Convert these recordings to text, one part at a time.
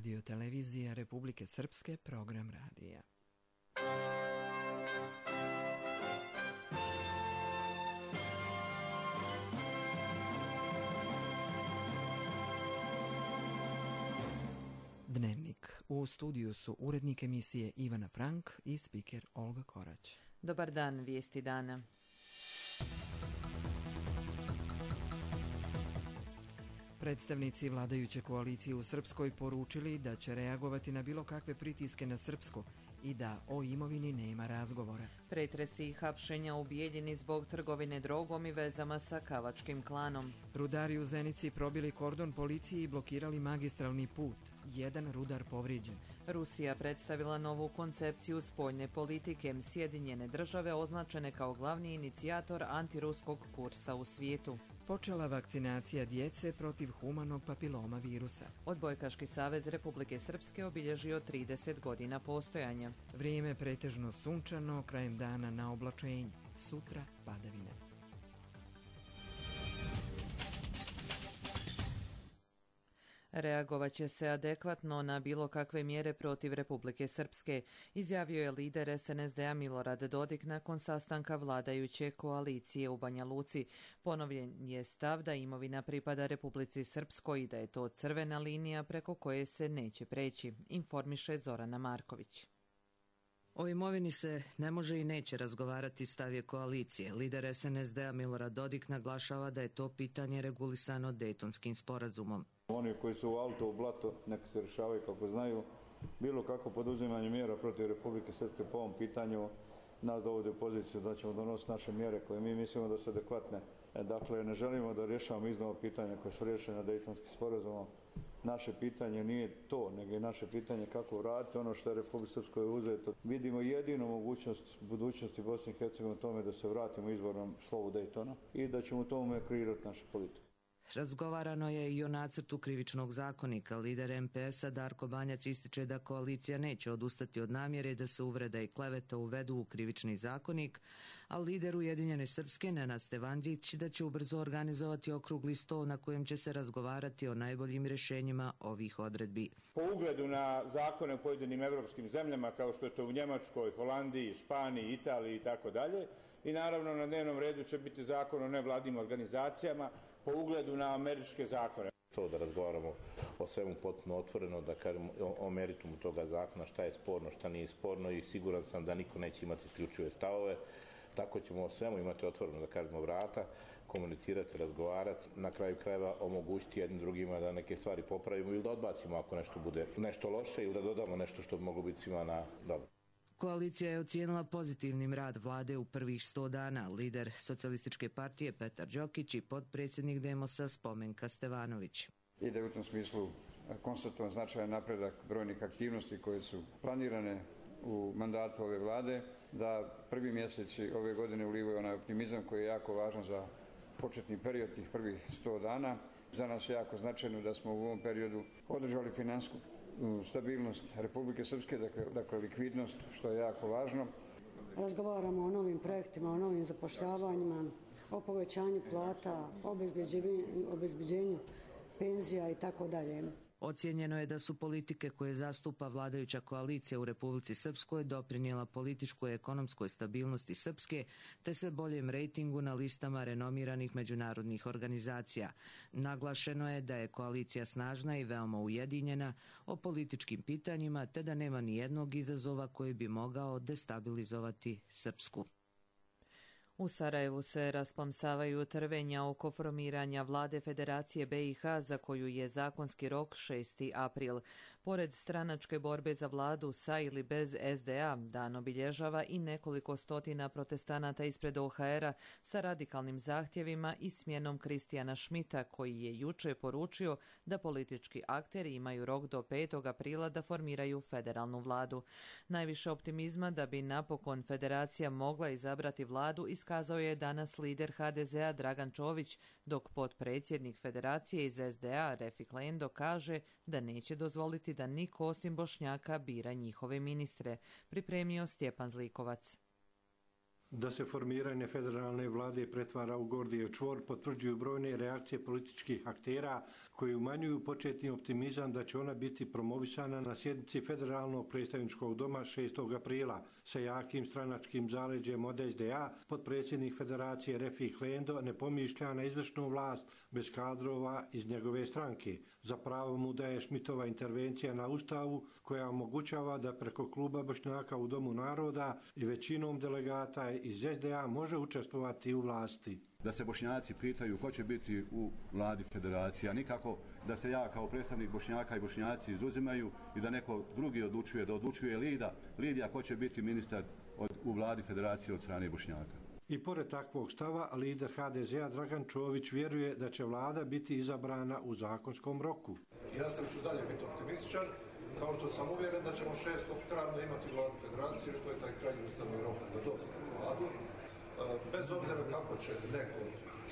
Radio televizija Republike Srpske, program radija. Dnevnik. U studiju su urednik emisije Ivana Frank i spiker Olga Korać. Dobar dan, vijesti dana. Predstavnici vladajuće koalicije u Srpskoj poručili da će reagovati na bilo kakve pritiske na Srpsku i da o imovini nema razgovora. Pretresi i hapšenja u Bijeljini zbog trgovine drogom i vezama sa Kavačkim klanom. Rudari u Zenici probili kordon policije i blokirali magistralni put. Jedan rudar povrijeđen. Rusija predstavila novu koncepciju spoljne politike. Sjedinjene države označene kao glavni inicijator antiruskog kursa u svijetu. Počela vakcinacija djece protiv humanog papiloma virusa. Odbojkaški savez Republike Srpske obilježio 30 godina postojanja. Vrijeme pretežno sunčano, krajem dana na oblačenje. Sutra padavine. Reagovat će se adekvatno na bilo kakve mjere protiv Republike Srpske, izjavio je lider SNSD-a Milorad Dodik nakon sastanka vladajuće koalicije u Banja Luci. Ponovljen je stav da imovina pripada Republici Srpskoj i da je to crvena linija preko koje se neće preći, informiše Zorana Marković. O imovini se ne može i neće razgovarati, stav je koalicije. Lider SNSD-a Milorad Dodik naglašava da je to pitanje regulisano Dejtonskim sporazumom. Oni koji su u auto, u blato, neka se rješavaju kako znaju. Bilo kako poduzimanje mjera protiv Republike Srpske po ovom pitanju nas dovodi u poziciju da ćemo donositi naše mjere koje mi mislimo da su adekvatne. Dakle, ne želimo da rješavamo iznova pitanja koje su rješene Dejtonskim sporazumom. Naše pitanje nije to, nego je naše pitanje kako vratiti ono što je Republike Srpskoj uzeto. Vidimo jedinu mogućnost budućnosti Bosne i Hercegovine u tome da se vratimo izvornom slovu Dejtona i da ćemo u tome kreirati naše politike. Razgovarano je i o nacrtu krivičnog zakonika. Lider MPS-a Darko Banjac ističe da koalicija neće odustati od namjere da se uvreda i kleveta uvedu u krivični zakonik, a lider Ujedinjene Srpske Nenad Stevandić da će ubrzo organizovati okrugli sto na kojem će se razgovarati o najboljim rješenjima ovih odredbi. Po ugledu na zakone u pojedinim evropskim zemljama, kao što je to u Njemačkoj, Holandiji, Španiji, Italiji i tako dalje, i naravno na dnevnom redu će biti zakon o nevladinim organizacijama po ugledu na američke zakone. To da razgovaramo o svemu potpuno otvoreno, da kažemo o meritumu toga zakona, šta je sporno, šta nije sporno i siguran sam da niko neće imati isključive stavove. Tako ćemo o svemu imati otvoreno, da kažemo, vrata, komunicirati, razgovarati, na kraju krajeva omogućiti jednim drugima da neke stvari popravimo ili da odbacimo ako nešto bude nešto loše ili da dodamo nešto što bi moglo biti svima na dobro. Koalicija je ocijenila pozitivnim rad vlade u prvih 100 dana. Lider Socijalističke partije Petar Đokić i potpredsjednik Demosa Spomenka Stevanović. I da je u tom smislu konstatovan značajan napredak brojnih aktivnosti koje su planirane u mandatu ove vlade, da prvi mjeseci ove godine ulivaju onaj optimizam koji je jako važan za početni period tih prvih 100 dana. Za nas je jako značajno da smo u ovom periodu održali finansijsku stabilnost Republike Srpske, dakle likvidnost, što je jako važno. Razgovaramo o novim projektima, o novim zapošljavanjima, o povećanju plata, o obezbeđenju penzija i tako dalje. Ocijenjeno je da su politike koje zastupa vladajuća koalicija u Republici Srpskoj doprinijela političkoj i ekonomskoj stabilnosti Srpske te sve boljem rejtingu na listama renomiranih međunarodnih organizacija. Naglašeno je da je koalicija snažna i veoma ujedinjena o političkim pitanjima te da nema ni jednog izazova koji bi mogao destabilizovati Srpsku. U Sarajevu se rasplamsavaju trvenja oko formiranja vlade Federacije BiH za koju je zakonski rok 6. april. Pored stranačke borbe za vladu sa ili bez SDA, dan obilježava i nekoliko stotina protestanata ispred OHR-a sa radikalnim zahtjevima i smjenom Kristijana Šmita, koji je juče poručio da politički akteri imaju rok do 5. aprila da formiraju federalnu vladu. Najviše optimizma da bi napokon federacija mogla izabrati vladu iskazao je danas lider HDZ-a Dragan Čović, dok potpredsjednik federacije iz SDA Refik Lendo kaže da neće dozvoliti da niko osim Bošnjaka bira njihove ministre, pripremio Stjepan Zlikovac. Da se formiranje federalne vlade pretvara u Gordijev čvor potvrđuju brojne reakcije političkih aktera koji umanjuju početni optimizam da će ona biti promovisana na sjednici Federalnog predstavničkog doma 6. aprila. Sa jakim stranačkim zaleđem od SDA, potpredsjednik Federacije Refik Lendo ne pomišlja na izvršnu vlast bez kadrova iz njegove stranke. Za pravo mu daje Šmitova intervencija na Ustavu koja omogućava da preko kluba Bošnjaka u Domu naroda i većinom delegata iz SDA može učestvovati u vlasti. Da se Bošnjaci pitaju ko će biti u vladi federacije, a nikako da se ja kao predstavnik Bošnjaka i Bošnjaci izuzimaju i da neko drugi odlučuje, da odlučuje Lidija ko će biti ministar u vladi federacije od strane Bošnjaka. I pored takvog stava, lider HDZ-a Dragan Čović vjeruje da će vlada biti izabrana u zakonskom roku. Ja ću dalje biti optimističan, kao što sam uvjeren da ćemo 6. travnja imati vladu federacije, jer to je taj krajnji ustavni rok da dobijemo vladu. Bez obzira kako će neko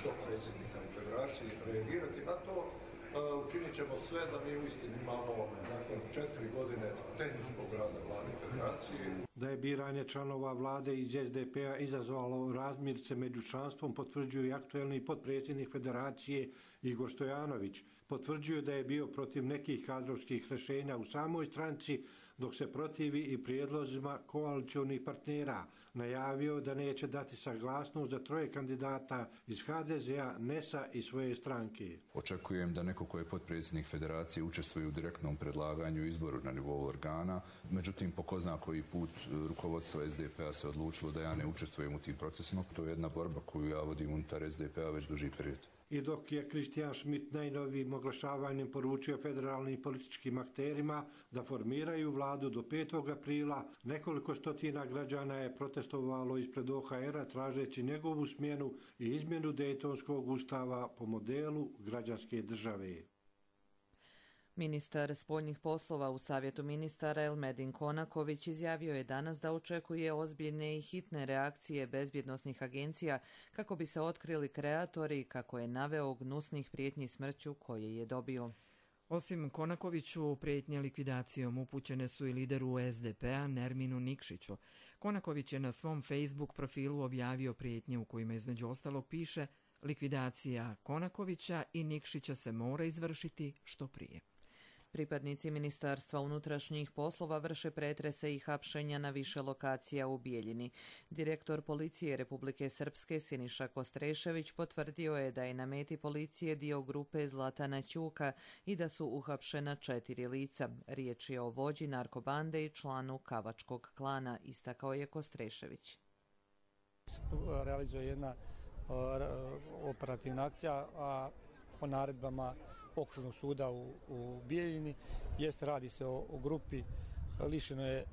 od predsjednika u federaciji reagirati na to, učinit ćemo sve da mi uistinu imamo nakon 4 godine tehničkog rada vlade federacije. Da je biranje članova vlade iz SDP-a izazvalo razmirce među članstvom potvrđuje i aktuelni potpredsjednik federacije Igor Stojanović. Potvrđuje da je bio protiv nekih kadrovskih rješenja u samoj stranci, dok se protivi i prijedlozima koalicionih partnera. Najavio da neće dati saglasnost za 3 kandidata iz HDZ-a, NES-a i svoje stranke. Očekujem da neko ko je potpredsjednik federacije učestvuje u direktnom predlaganju izboru na nivou organa. Međutim, po ko zna koji put rukovodstvo SDP-a se odlučilo da ja ne učestvujem u tim procesima. To je jedna borba koju ja vodim unutar SDP-a već duži period. I dok je Kristijan Schmidt najnovijim oglašavanjem poručio federalnim političkim akterima da formiraju vladu do 5. aprila, nekoliko stotina građana je protestovalo ispred OHR-a tražeći njegovu smjenu i izmjenu Dejtonskog ustava po modelu građanske države. Ministar spoljnih poslova u Savjetu ministara Elmedin Konaković izjavio je danas da očekuje ozbiljne i hitne reakcije bezbjednosnih agencija kako bi se otkrili kreatori, kako je naveo, gnusnih prijetnji smrću koje je dobio. Osim Konakoviću, prijetnje likvidacijom upućene su i lideru SDP-a Nerminu Nikšiću. Konaković je na svom Facebook profilu objavio prijetnje u kojima između ostalog piše: likvidacija Konakovića i Nikšića se mora izvršiti što prije. Pripadnici Ministarstva unutrašnjih poslova vrše pretrese i hapšenja na više lokacija u Bijeljini. Direktor policije Republike Srpske Siniša Kostrešević potvrdio je da je na meti policije dio grupe Zlatana Ćuka i da su uhapšena 4 lica. Riječ je o vođi narkobande i članu Kavačkog klana, istakao je Kostrešević. Realizuje jedna operativna akcija, a po naredbama Okružnog suda u Bijeljini. Radi se o grupi, lišeno je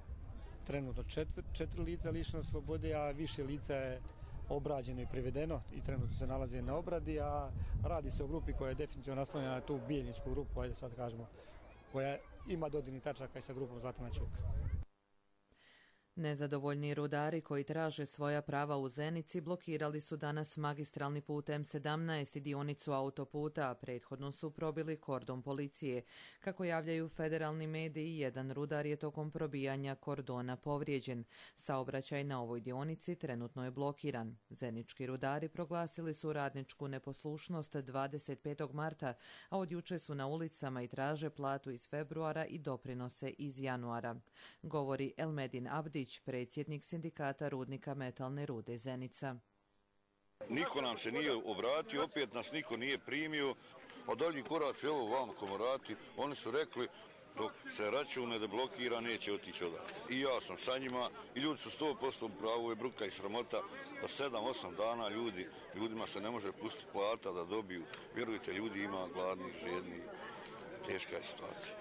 trenutno 4 lica lišeno slobode, a više lica je obrađeno i privedeno i trenutno se nalaze na obradi, a radi se o grupi koja je definitivno naslonjena na tu bijeljinsku grupu, ajde sad kažemo, koja ima dodirnih tačaka i sa grupom Zlatana Ćuka. Nezadovoljni rudari koji traže svoja prava u Zenici blokirali su danas magistralni put M17 i dionicu autoputa, a prethodno su probili kordon policije. Kako javljaju federalni mediji, jedan rudar je tokom probijanja kordona povrijeđen. Saobraćaj na ovoj dionici trenutno je blokiran. Zenički rudari proglasili su radničku neposlušnost 25. marta, a od juče su na ulicama i traže platu iz februara i doprinose iz januara. Govori Elmedin Abdić, predsjednik sindikata rudnika metalne rude Zenica. Niko nam se nije obratio, opet nas niko nije primio. A dalji korac, evo vam komorati, oni su rekli dok se račun ne deblokira neće otići odavde. I ja sam sa njima i ljudi su 100% u pravu, je bruka i sramota da 7-8 dana ljudima se ne može pustiti plata da dobiju. Vjerujte, ljudi ima gladnih, žednih, teška je situacija.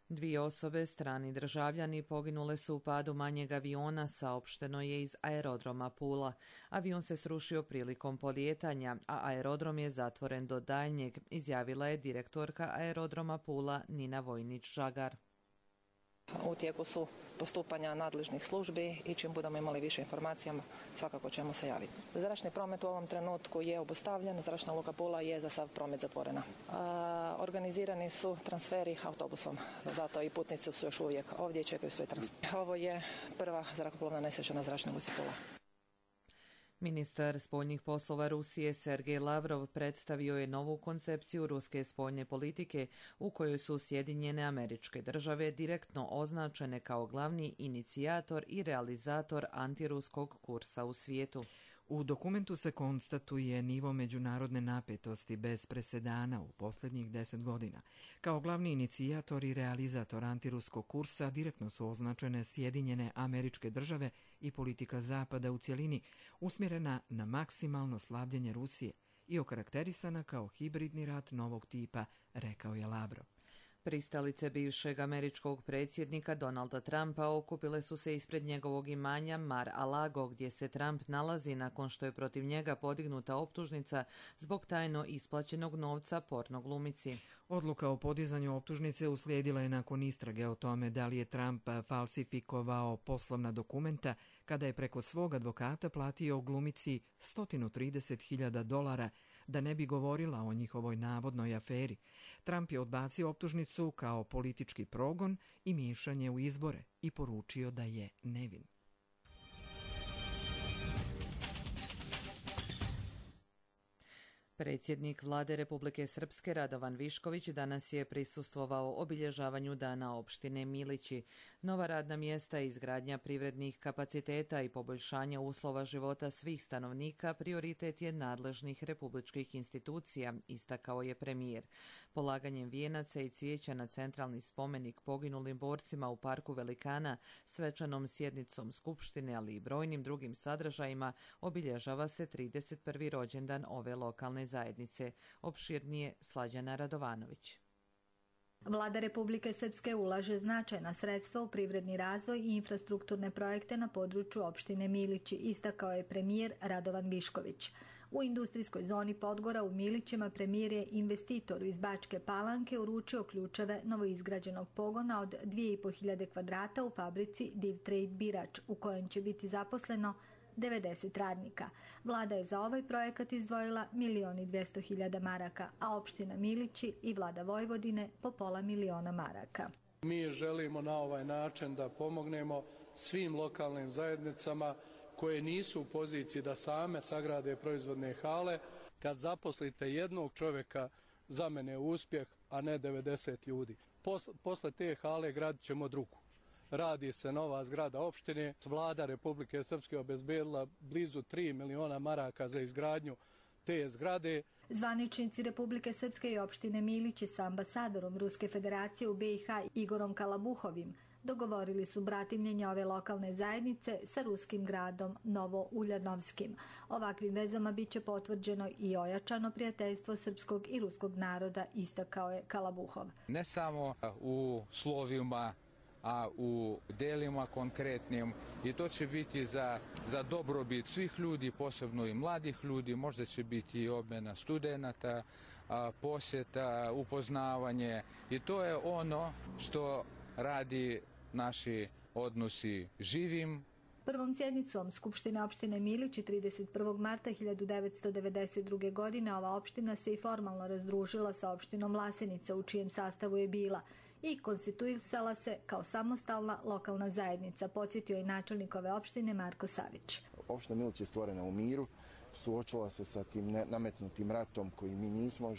2 osobe, strani državljani, poginule su u padu manjeg aviona, saopšteno je iz aerodroma Pula. Avion se srušio prilikom polijetanja, a aerodrom je zatvoren do daljnjeg, izjavila je direktorka aerodroma Pula Nina Vojnić-Žagar. U tijeku su postupanja nadležnih službi i čim budemo imali više informacija, svakako ćemo se javiti. Zračni promet u ovom trenutku je obustavljen, zračna luka Pula je za sav promet zatvorena. Organizirani su transferi autobusom, zato i putnici su još uvijek ovdje i čekaju svoj transfer. Ovo je prva zrakoplovna nesreća na zračnoj luci Pula. Ministar spoljnih poslova Rusije Sergej Lavrov predstavio je novu koncepciju ruske spoljne politike u kojoj su Sjedinjene Američke Države direktno označene kao glavni inicijator i realizator antiruskog kursa u svijetu. U dokumentu se konstatuje nivo međunarodne napetosti bez presedana u posljednjih 10 godina. Kao glavni inicijator i realizator antiruskog kursa direktno su označene Sjedinjene Američke Države i politika Zapada u cjelini, usmjerena na maksimalno slabljenje Rusije i okarakterisana kao hibridni rat novog tipa, rekao je Lavrov. Pristalice bivšeg američkog predsjednika Donalda Trumpa okupile su se ispred njegovog imanja Mar-a-Lago, gdje se Trump nalazi nakon što je protiv njega podignuta optužnica zbog tajno isplaćenog novca porno glumici. Odluka o podizanju optužnice uslijedila je nakon istrage o tome da li je Trump falsifikovao poslovna dokumenta kada je preko svog advokata platio glumici $130.000 da ne bi govorila o njihovoj navodnoj aferi. Trump je odbacio optužnicu kao politički progon i miješanje u izbore i poručio da je nevin. Predsjednik Vlade Republike Srpske Radovan Višković danas je prisustvovao obilježavanju Dana opštine Milići. Nova radna mjesta, izgradnja privrednih kapaciteta i poboljšanja uslova života svih stanovnika prioritet je nadležnih republičkih institucija, istakao je premijer. Polaganjem vijenaca i cvijeća na centralni spomenik poginulim borcima u Parku Velikana, svečanom sjednicom Skupštine, ali i brojnim drugim sadržajima, obilježava se 31. rođendan ove lokalne zajednice. Opširnije Slađana Radovanović. Vlada Republike Srpske ulaže značajna sredstva u privredni razvoj i infrastrukturne projekte na području opštine Milići, istakao je premijer Radovan Višković. U industrijskoj zoni Podgora u Milićima premijer je investitoru iz Bačke Palanke uručio ključeve novoizgrađenog pogona od 2.500 kvadrata u fabrici Div Trade Birač, u kojem će biti zaposleno 90 radnika. Vlada je za ovaj projekat izdvojila 1.200.000 maraka, a opština Milići i vlada Vojvodine po $500.000 maraka. Mi želimo na ovaj način da pomognemo svim lokalnim zajednicama koje nisu u poziciji da same sagrade proizvodne hale. Kad zaposlite jednog čovjeka, za mene je uspjeh, a ne 90 ljudi. Posle te hale gradit ćemo drugu. Radi se nova zgrada opštine. Vlada Republike Srpske obezbedila blizu 3 miliona maraka za izgradnju te zgrade. Zvaničnici Republike Srpske i opštine Milići sa ambasadorom Ruske federacije u BiH Igorom Kalabuhovim dogovorili su bratimljenje ove lokalne zajednice sa ruskim gradom Novo-Uljanovskim. Ovakvim vezama bit će potvrđeno i ojačano prijateljstvo srpskog i ruskog naroda, istakao je Kalabuhov. Ne samo u slovima, a u delima konkretnim, i to će biti za dobrobit svih ljudi, posebno i mladih ljudi. Možda će biti i obmena studenata, posjeta, upoznavanje, i to je ono što radi naši odnosi živim. Prvom sjednicom Skupštine opštine Milići 31. marta 1992. godine ova opština se i formalno razdružila sa opštinom Vlasenica, u čijem sastavu je bila, i konstituisala se kao samostalna lokalna zajednica, podsjetio je načelnik ove opštine Marko Savić. Opština Milić je stvorena u miru, suočila se sa tim nametnutim ratom koji mi nismo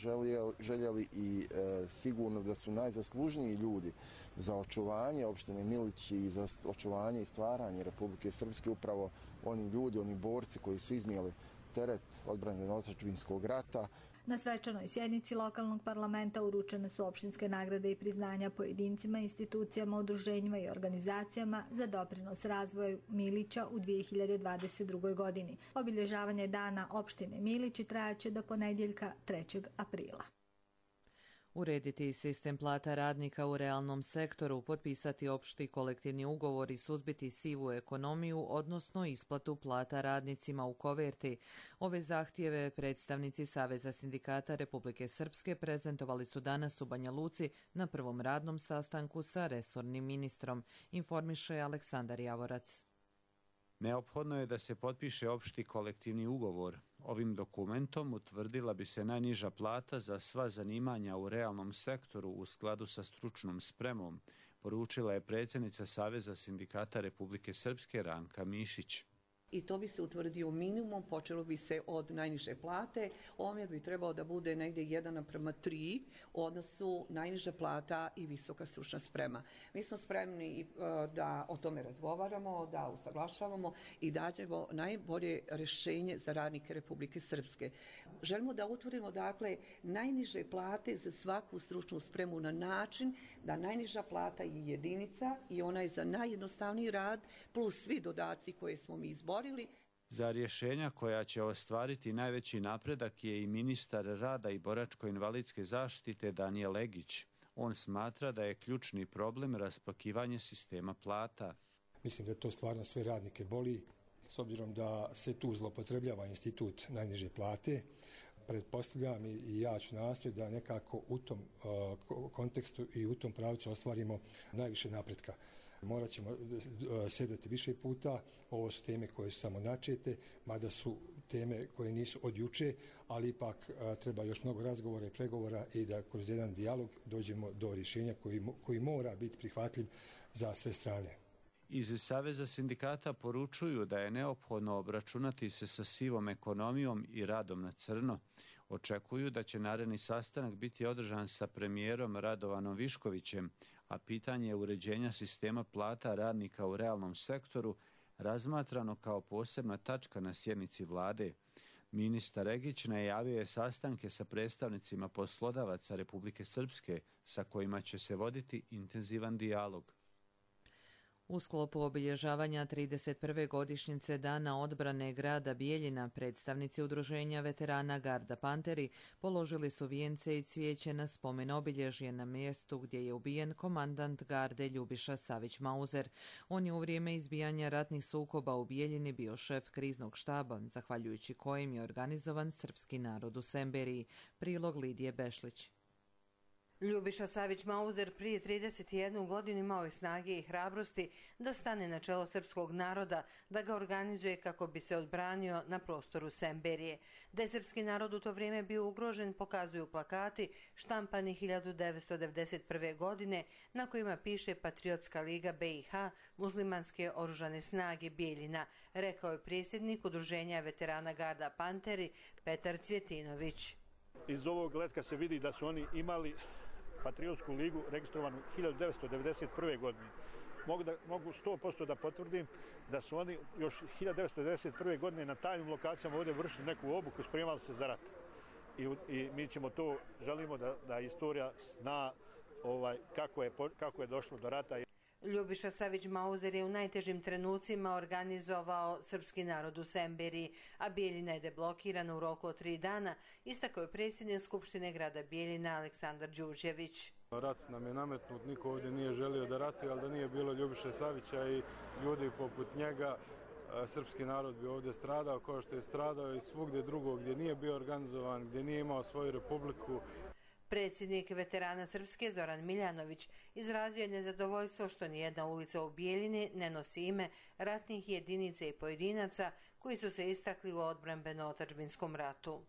željeli i sigurno da su najzaslužniji ljudi za očuvanje opštine Milić i za očuvanje i stvaranje Republike Srpske upravo oni ljudi, oni borci koji su iznijeli teret odbrane otadžbinskog rata. Na svečanoj sjednici lokalnog parlamenta uručene su opštinske nagrade i priznanja pojedincima, institucijama, udruženjima i organizacijama za doprinos razvoju Milića u 2022. godini. Obilježavanje dana opštine Milići trajaće do ponedjeljka 3. aprila. Urediti sistem plata radnika u realnom sektoru, potpisati opšti kolektivni ugovor i suzbiti sivu ekonomiju, odnosno isplatu plata radnicima u koverti. Ove zahtjeve predstavnici Saveza sindikata Republike Srpske prezentovali su danas u Banja Luci na prvom radnom sastanku sa resornim ministrom, informiše Aleksandar Javorac. Neophodno je da se potpiše opšti kolektivni ugovor. Ovim dokumentom utvrdila bi se najniža plata za sva zanimanja u realnom sektoru u skladu sa stručnom spremom, poručila je predsjednica Saveza sindikata Republike Srpske Ranka Mišić. I to bi se utvrdio minimum, počelo bi se od najniže plate, omjer bi trebao da bude negdje 1:3 u odnosu najniža plata i visoka stručna sprema. Mi smo spremni da o tome razgovaramo, da usaglašavamo i dađemo najbolje rješenje za radnike Republike Srpske. Želimo da utvrdimo dakle najniže plate za svaku stručnu spremu na način da najniža plata je jedinica i ona je za najjednostavniji rad plus svi dodaci koje smo mi izborili. Za rješenja koja će ostvariti najveći napredak je i ministar rada i boračko-invalidske zaštite Danijel Legić. On smatra da je ključni problem raspakivanje sistema plata. Mislim da to stvarno sve radnike boli, s obzirom da se tu zloupotrebljava institut najniže plate. Pretpostavljam i ja ću nastojati da nekako u tom kontekstu i u tom pravcu ostvarimo najviše napretka. Morat ćemo sjedati više puta, ovo su teme koje su samo načete, mada su teme koje nisu od juče, ali ipak treba još mnogo razgovora i pregovora i da kroz jedan dijalog dođemo do rješenja koji mora biti prihvatljiv za sve strane. Iz Saveza sindikata poručuju da je neophodno obračunati se sa sivom ekonomijom i radom na crno. Očekuju da će naredni sastanak biti održan sa premijerom Radovanom Viškovićem, a pitanje uređenja sistema plata radnika u realnom sektoru razmatrano kao posebna tačka na sjednici vlade. Ministar Legić najavio je sastanke sa predstavnicima poslodavaca Republike Srpske sa kojima će se voditi intenzivan dijalog. U sklopu obilježavanja 31. godišnjice Dana odbrane grada Bijeljina, predstavnici udruženja veterana Garda Panteri položili su vijence i cvijeće na spomen obilježje na mjestu gdje je ubijen komandant garde Ljubiša Savić-Mauzer. On je u vrijeme izbijanja ratnih sukoba u Bijeljini bio šef kriznog štaba, zahvaljujući kojem je organizovan srpski narod u Semberiji. Prilog Lidije Bešlić. Ljubiša Savić-Mauzer prije 31 godinu imao je snage i hrabrosti da stane na čelo srpskog naroda, da ga organizuje kako bi se odbranio na prostoru Semberije. Da je srpski narod u to vrijeme bio ugrožen pokazuju plakati štampani 1991. godine na kojima piše Patriotska liga BiH, muslimanske oružane snage Bijeljina, rekao je predsjednik udruženja veterana Garda Panteri Petar Cvjetinović. Iz ovog letka se vidi da su oni imali Patriotsku ligu registrovanu 1991. godine. Mogu 100% da potvrdim da su oni još 1991. godine na tajnim lokacijama ovdje vršili neku obuku, spremali se za rat. I mi ćemo to, želimo da istorija zna kako je došlo do rata. Ljubiša Savić-Mauzer je u najtežim trenucima organizovao srpski narod u Semberiji, a Bijeljina je deblokirana u roku od 3 dana, istakao je predsjednik Skupštine grada Bijeljina Aleksandar Đurđević. Rat nam je nametnut, niko ovdje nije želio da ratuje, ali da nije bilo Ljubiše Savića i ljudi poput njega, srpski narod bi ovdje stradao kao što je stradao i svugdje drugo gdje nije bio organizovan, gdje nije imao svoju republiku. Predsjednik veterana Srpske Zoran Miljanović izrazio je nezadovoljstvo što nijedna ulica u Bijeljini ne nosi ime ratnih jedinica i pojedinaca koji su se istakli u odbrambeno-otadžbinskom ratu.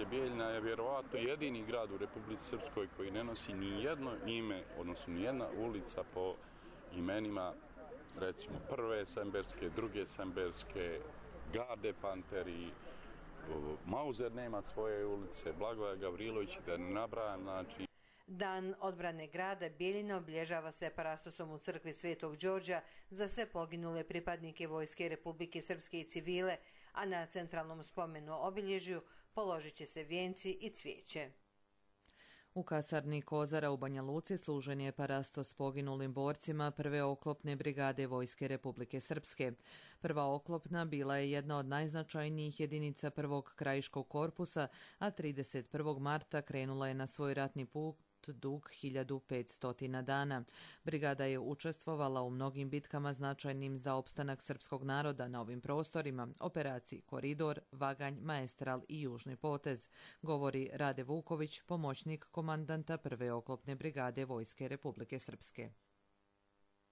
Bijeljina je vjerovatno jedini grad u Republici Srpskoj koji ne nosi ni jedno ime, odnosno ni jedna ulica po imenima, recimo prve semberske, druge semberske, Garde Panteri, Mauzer nema svoje ulice, Blagoja Gavrilović, da ne nabrajam, znači. Dan odbrane grada Bijeljina obilježava se parastosom u crkvi Svetog Đorđa za sve poginule pripadnike Vojske Republike Srpske i civile, a na centralnom spomenu obilježju položit će se vijenci i cvijeće. U kasarni Kozara u Banja Luci služen je parastos poginulim borcima prve oklopne brigade Vojske Republike Srpske. Prva oklopna bila je jedna od najznačajnijih jedinica prvog krajiškog korpusa, a 31. marta krenula je na svoj ratni put dug 1500 dana. Brigada je učestvovala u mnogim bitkama značajnim za opstanak srpskog naroda na ovim prostorima, operaciji Koridor, Vaganj, Maestral i Južni potez, govori Rade Vuković, pomoćnik komandanta prve oklopne brigade Vojske Republike Srpske.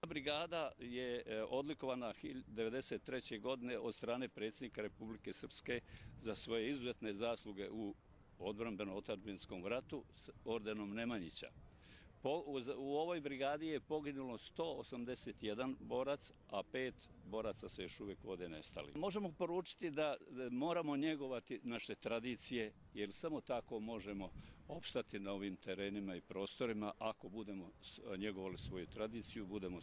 Brigada je odlikovana 1993. godine od strane predsjednika Republike Srpske za svoje izuzetne zasluge u odbrambeno-otadžbinskom ratu s ordenom Nemanjića. U ovoj brigadi je poginulo 181 borac, a 5 boraca se još uvijek vode nestali. Možemo poručiti da moramo njegovati naše tradicije, jer samo tako možemo opstati na ovim terenima i prostorima. Ako budemo njegovali svoju tradiciju, budemo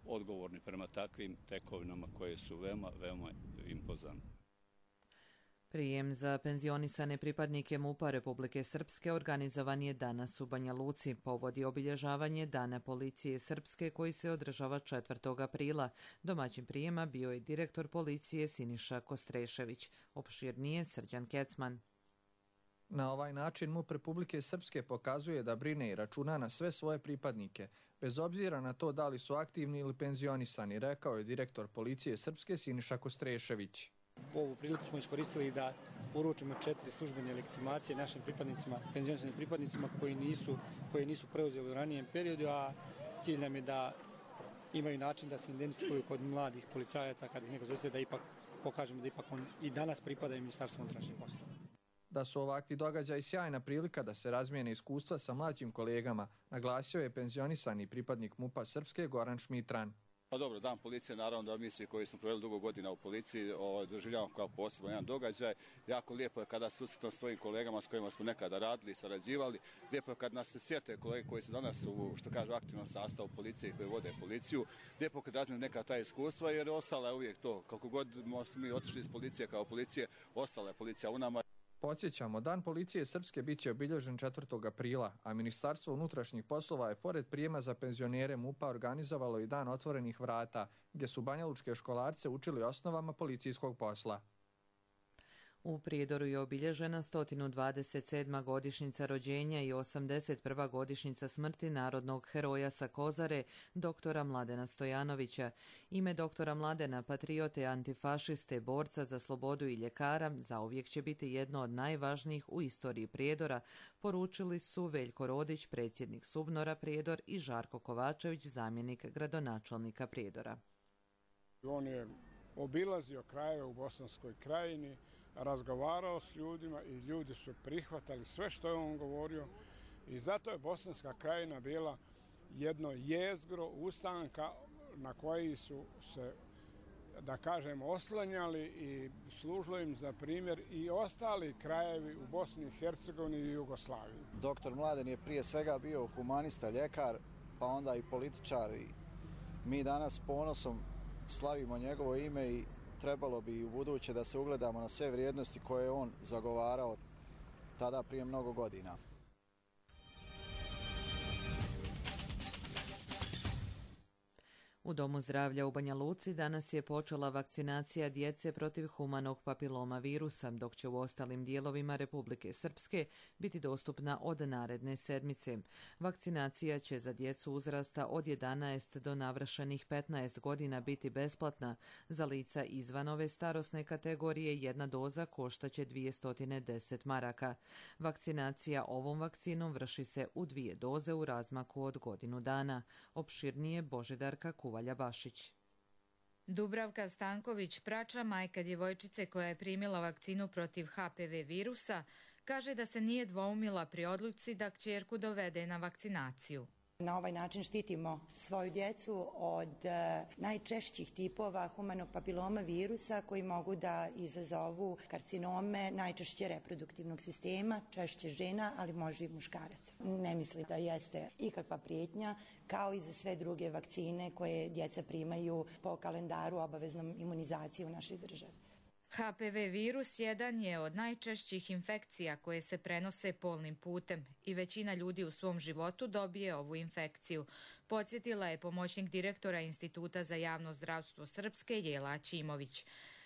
odgovorni prema takvim tekovinama koje su veoma, veoma impozantne. Prijem za penzionisane pripadnike MUP-a Republike Srpske organizovan je danas u Banja Luci. Povod je obilježavanje Dana policije Srpske koji se održava 4. aprila. Domaćin prijema bio je direktor policije Siniša Kostrešević. Opširnije Srđan Kecman. Na ovaj način MUP Republike Srpske pokazuje da brine i računa na sve svoje pripadnike, bez obzira na to da li su aktivni ili penzionisani, rekao je direktor policije Srpske Siniša Kostrešević. Ovu priliku smo iskoristili da uručimo 4 službene legitimacije našim pripadnicima, penzionisanim pripadnicima koji nisu preuzeli u ranijem periodu, a cilj nam je da imaju način da se identifikuju kod mladih policajaca kada ih neko zove, da ipak pokažemo da ipak on i danas pripadaju Ministarstvu unutrašnjih poslova. Da su ovakvi događaji sjajna prilika da se razmijene iskustva sa mlađim kolegama, naglasio je penzionisani pripadnik MUP-a Srpske Goran Šmitran. Pa dobro, Dan policije, naravno da mi svi koji smo proveli dugo godina u policiji doživljavamo kao poseban jedan događaj. Jako lijepo je kada susretno svojim kolegama s kojima smo nekada radili i sarađivali. Lijepo je kad nas se sjete kolege koji su danas u, što kažu, aktivnom sastavu policije koji vode policiju. Lijepo kad razmijem neka ta iskustva jer ostala je uvijek to. Kako god smo mi otišli iz policije kao policije, ostala je policija u nama. Podsjećamo, Dan policije Srpske bit će obilježen 4. aprila, a Ministarstvo unutrašnjih poslova je pored prijema za penzionere MUP-a organizovalo i Dan otvorenih vrata, gdje su banjalučke školarce učili osnovama policijskog posla. U Prijedoru je obilježena 127. godišnjica rođenja i 81. godišnjica smrti narodnog heroja sa Kozare, doktora Mladena Stojanovića. Ime doktora Mladena, patriote, antifašiste, borca za slobodu i ljekara, zauvijek će biti jedno od najvažnijih u istoriji Prijedora, poručili su Veljko Rodić, predsjednik Subnora Prijedor, i Žarko Kovačević, zamjenik gradonačelnika Prijedora. On je obilazio krajeve u Bosanskoj krajini, razgovarao s ljudima i ljudi su prihvatali sve što je on govorio i zato je Bosanska krajina bila jedno jezgro ustanka na koji su se, da kažem, oslanjali i služilo im za primjer i ostali krajevi u Bosni i Hercegovini i Jugoslaviji. Doktor Mladen je prije svega bio humanista, ljekar, pa onda i političar. I mi danas ponosom slavimo njegovo ime i trebalo bi u buduće da se ugledamo na sve vrijednosti koje je on zagovarao tada prije mnogo godina. U Domu zdravlja u Banja Luci danas je počela vakcinacija djece protiv humanog papiloma virusa, dok će u ostalim dijelovima Republike Srpske biti dostupna od naredne sedmice. Vakcinacija će za djecu uzrasta od 11 do navršenih 15 godina biti besplatna. Za lica izvan ove starosne kategorije jedna doza koštaće 210 maraka. Vakcinacija ovom vakcinom vrši se u 2 doze u razmaku od godinu dana. Opširnije Božidarka Kuvalja-Bašić. Dubravka Stanković, prača majka djevojčice koja je primila vakcinu protiv HPV virusa, kaže da se nije dvoumila pri odluci da kćerku dovede na vakcinaciju. Na ovaj način štitimo svoju djecu od najčešćih tipova humanog papiloma virusa koji mogu da izazovu karcinome najčešće reproduktivnog sistema, češće žena, ali može i muškaraca. Ne mislim da jeste ikakva prijetnja, kao i za sve druge vakcine koje djeca primaju po kalendaru obaveznom imunizacije u našoj državi. HPV virus jedan je od najčešćih infekcija koje se prenose polnim putem i većina ljudi u svom životu dobije ovu infekciju. Podsjetila je pomoćnik direktora Instituta za javno zdravstvo Srpske Jela Aćimović.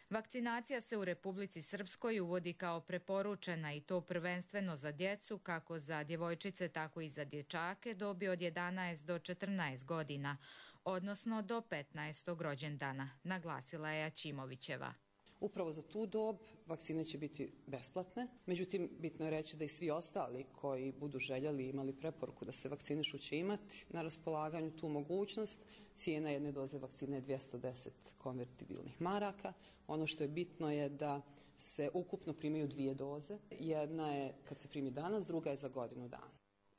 Vakcinacija se u Republici Srpskoj uvodi kao preporučena i to prvenstveno za djecu, kako za djevojčice, tako i za dječake dobi od 11 do 14 godina, odnosno do 15. rođendana, naglasila je Aćimovićeva. Upravo za tu dob vakcine će biti besplatne, međutim bitno je reći da i svi ostali koji budu željeli i imali preporuku da se vakcinišu će imati na raspolaganju tu mogućnost. Cijena jedne doze vakcine je 210 konvertibilnih maraka. Ono što je bitno je da se ukupno primaju 2 doze. Jedna je kad se primi danas, druga je za godinu dana.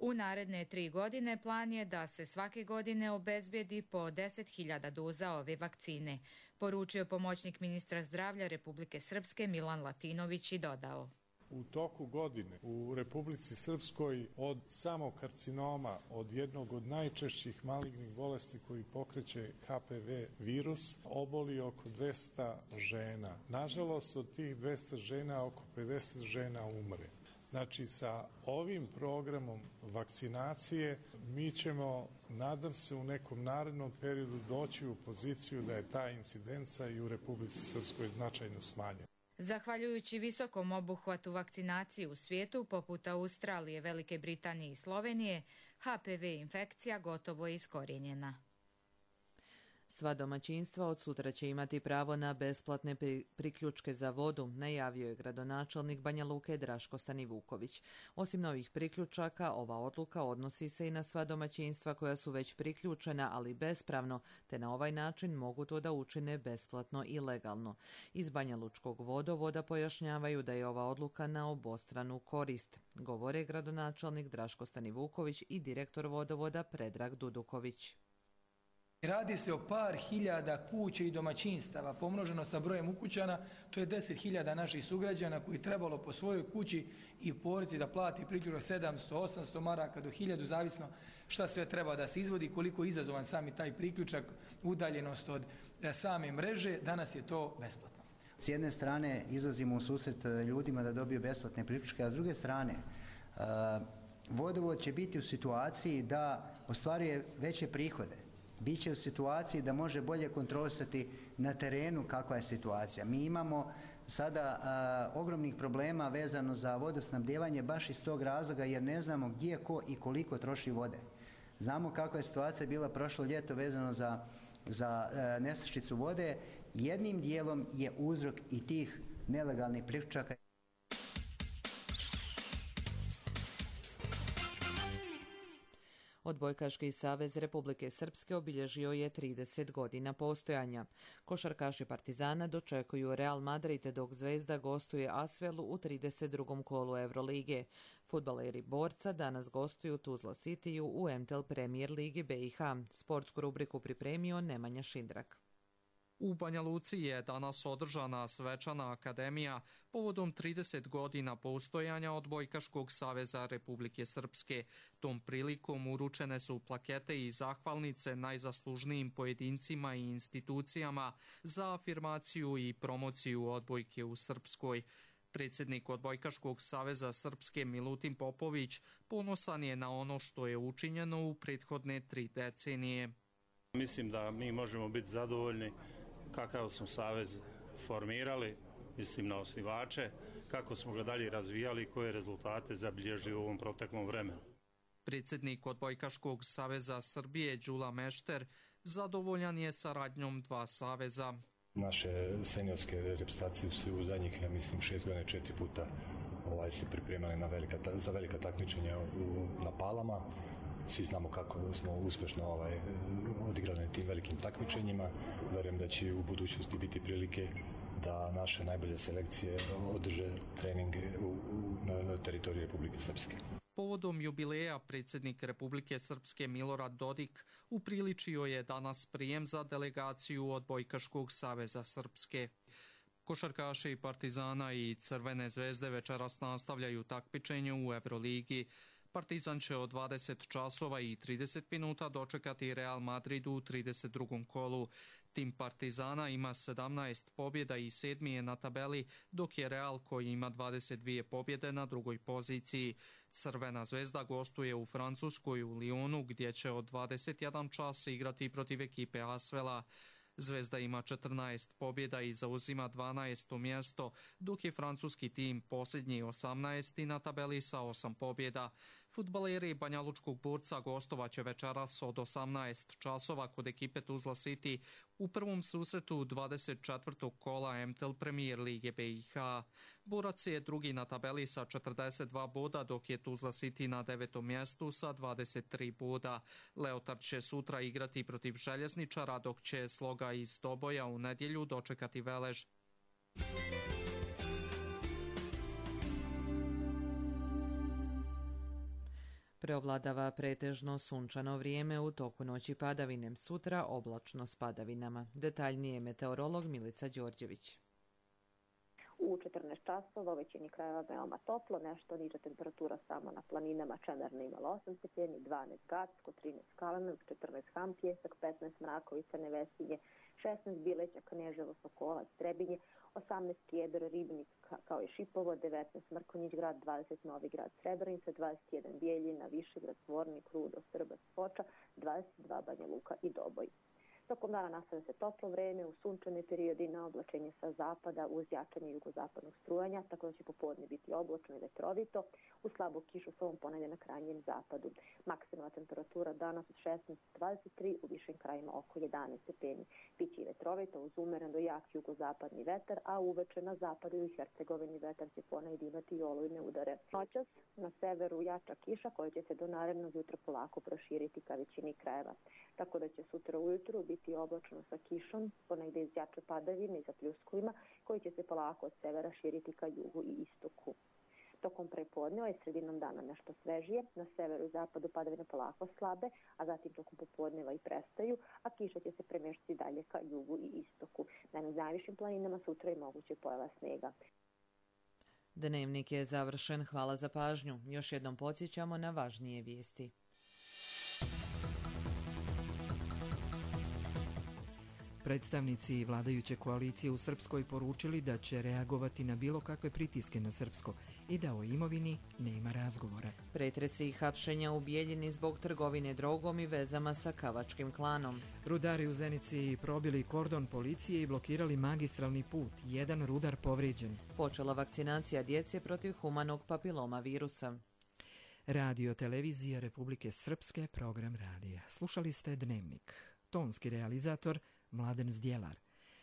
U naredne 3 godine plan je da se svake godine obezbijedi po 10.000 doza ove vakcine, poručio pomoćnik ministra zdravlja Republike Srpske Milan Latinović i dodao. U toku godine u Republici Srpskoj od samog karcinoma, od jednog od najčešćih malignih bolesti koji pokreće HPV virus, oboli oko 200 žena. Nažalost, od tih 200 žena oko 50 žena umre. Znači, sa ovim programom vakcinacije mi ćemo, nadam se, u nekom narednom periodu doći u poziciju da je ta incidenca i u Republici Srpskoj značajno smanjena. Zahvaljujući visokom obuhvatu vakcinacije u svijetu, poput Australije, Velike Britanije i Slovenije, HPV infekcija gotovo je iskorijenjena. Sva domaćinstva od sutra će imati pravo na besplatne priključke za vodu, najavio je gradonačelnik Banja Luke Draško Stanivuković. Osim novih priključaka, ova odluka odnosi se i na sva domaćinstva koja su već priključena, ali bespravno, te na ovaj način mogu to da učine besplatno i legalno. Iz Banja Lučkog vodovoda pojašnjavaju da je ova odluka na obostranu korist, govore gradonačelnik Draško Stanivuković i direktor vodovoda Predrag Duduković. Radi se o par hiljada kuća i domaćinstava, pomnoženo sa brojem ukućana, to je 10.000 naših sugrađana koji trebalo po svojoj kući i porci da plati priključak 700-800 maraka do 1000, zavisno šta sve treba da se izvodi, koliko je izazovan sami taj priključak, udaljenost od same mreže, danas je to besplatno. S jedne strane izlazimo u susret ljudima da dobiju besplatne priključke, a s druge strane vodovod će biti u situaciji da ostvaruje veće prihode. Biće u situaciji da može bolje kontrolisati na terenu kakva je situacija. Mi imamo sada ogromnih problema vezano za vodosnabdijevanje baš iz tog razloga jer ne znamo gdje, ko i koliko troši vode. Znamo kakva je situacija bila prošlo ljeto vezano za nestašicu vode. Jednim dijelom je uzrok i tih nelegalnih priključaka. Odbojkaški savez Republike Srpske obilježio je 30 godina postojanja. Košarkaši Partizana dočekuju Real Madrid dok Zvezda gostuje Asvelu u 32. kolu Evrolige. Fudbaleri Borca danas gostuju Tuzla Cityu u MTEL Premier Ligi BiH. Sportsku rubriku pripremio Nemanja Šindrak. U Banja Luci je danas održana svečana akademija povodom 30 godina postojanja Odbojkaškog saveza Republike Srpske. Tom prilikom uručene su plakete i zahvalnice najzaslužnijim pojedincima i institucijama za afirmaciju i promociju odbojke u Srpskoj. Predsjednik Odbojkaškog saveza Srpske Milutin Popović ponosan je na ono što je učinjeno u prethodne 3 decenije. Mislim da mi možemo biti zadovoljni kakav smo savez formirali, mislim na osnivače, kako smo ga dalje razvijali i koje rezultate zabilježili u ovom proteklom vremenu. Predsjednik Odbojkaškog saveza Srbije Đula Mešter zadovoljan je saradnjom 2 saveza. Naše seniorske reprezentacije su u zadnjih, ja mislim, 6 godina 4 puta se pripremali za velika takmičenja na Palama. Svi znamo kako smo uspješno odigrali na tim velikim takmičenjima. Verujem da će u budućnosti biti prilike da naše najbolje selekcije održe treninge na teritoriji Republike Srpske. Povodom jubileja predsjednik Republike Srpske Milorad Dodik upriličio je danas prijem za delegaciju Odbojkaškog saveza Srpske. Košarkaši Partizana i Crvene zvezde večeras nastavljaju takmičenje u Evroligi. Partizan će od 20 časova i 30 minuta dočekati Real Madrid u 32. kolu. Tim Partizana ima 17 pobjeda i 7. je na tabeli, dok je Real koji ima 22 pobjede na 2. poziciji. Crvena zvezda gostuje u Francuskoj u Lyonu gdje će od 21 časa igrati protiv ekipe Asvela. Zvezda ima 14 pobjeda i zauzima 12. mjesto, dok je francuski tim posljednji 18. na tabeli sa 8 pobjeda. Fudbaleri Banja Lučkog Borca gostovaće večeras od 18 časova kod ekipe Tuzla City u prvom susretu 24. kola MTEL Premier Lige BiH. Borac je drugi na tabeli sa 42 boda, dok je Tuzla City na 9. mjestu sa 23 boda. Leotard će sutra igrati protiv Željezničara, dok će Sloga iz Doboja u nedjelju dočekati Velež. Preovladava pretežno sunčano vrijeme, u toku noći padavine, sutra oblačno s padavinama. Detaljnije meteorolog Milica Đorđević. U 14 časova u većini krajeva veoma toplo, nešto niža temperatura samo na planinama. Čemerna imala 8 stepeni, 12 Gacko, 13 Kalanog, 14 Ham Pjesak, 15 Mrakovica, Nevesinje, 16 Bileća, Kneževo, Sokolac, Trebinje, 18 Kjedar, Ribnik kao i Šipovo, 19 Mrkonjić grad, 20 Novi grad, Srebrenica, 21 Bijeljina, Višegrad, Zvornik, Rudo, Srbac, Foča, 22 Banja Luka i Doboj. Tokom dana nastavlja se toplo vreme, u sunčane periodi na oblačenje sa zapada uz jačanje jugozapadnog strujanja, tako da će popodne biti oblačno i vetrovito, u slabu kišu s ovom ponedje na krajnjem zapadu. Maksimalna temperatura danas od 16-23, u višim krajima oko 11 stepeni. Biće i vetrovito uz umeren do jak jugozapadni vetar, a uveče na zapadu i Hercegovini vetar će ponegdje imati i olujne udare. Noćas na severu jača kiša koja će se do narednog jutra polako proširiti ka većini krajeva, tako da će sutra ujutru biti oblačno sa kišom, ponegdje iz jače padavine i sa pljuskovima, koji će se polako od severa širiti ka jugu i istoku. Tokom prepodneva i sredinom dana nešto svežije, na severu i zapadu padavine polako slabe, a zatim tokom popodneva i prestaju, a kiša će se premještati dalje ka jugu i istoku. Na najvišim planinama sutra je moguće pojava snega. Dnevnik je završen, hvala za pažnju. Još jednom podsjećamo na važnije vijesti. Predstavnici vladajuće koalicije u Srpskoj poručili da će reagovati na bilo kakve pritiske na srpsko i da o imovini nema razgovora. Pretresi i hapšenja u Bijeljini zbog trgovine drogom i vezama sa Kavačkim klanom. Rudari u Zenici probili kordon policije i blokirali magistralni put. Jedan rudar povrijeđen. Počela vakcinacija djece protiv humanog papiloma virusa. Radio Televizija Republike Srpske, program radija. Slušali ste Dnevnik. Tonski realizator Mladen Zdjelar,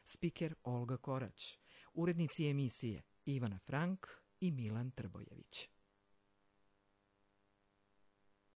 spiker Olga Korać, urednici emisije Ivana Frank i Milan Trbojević.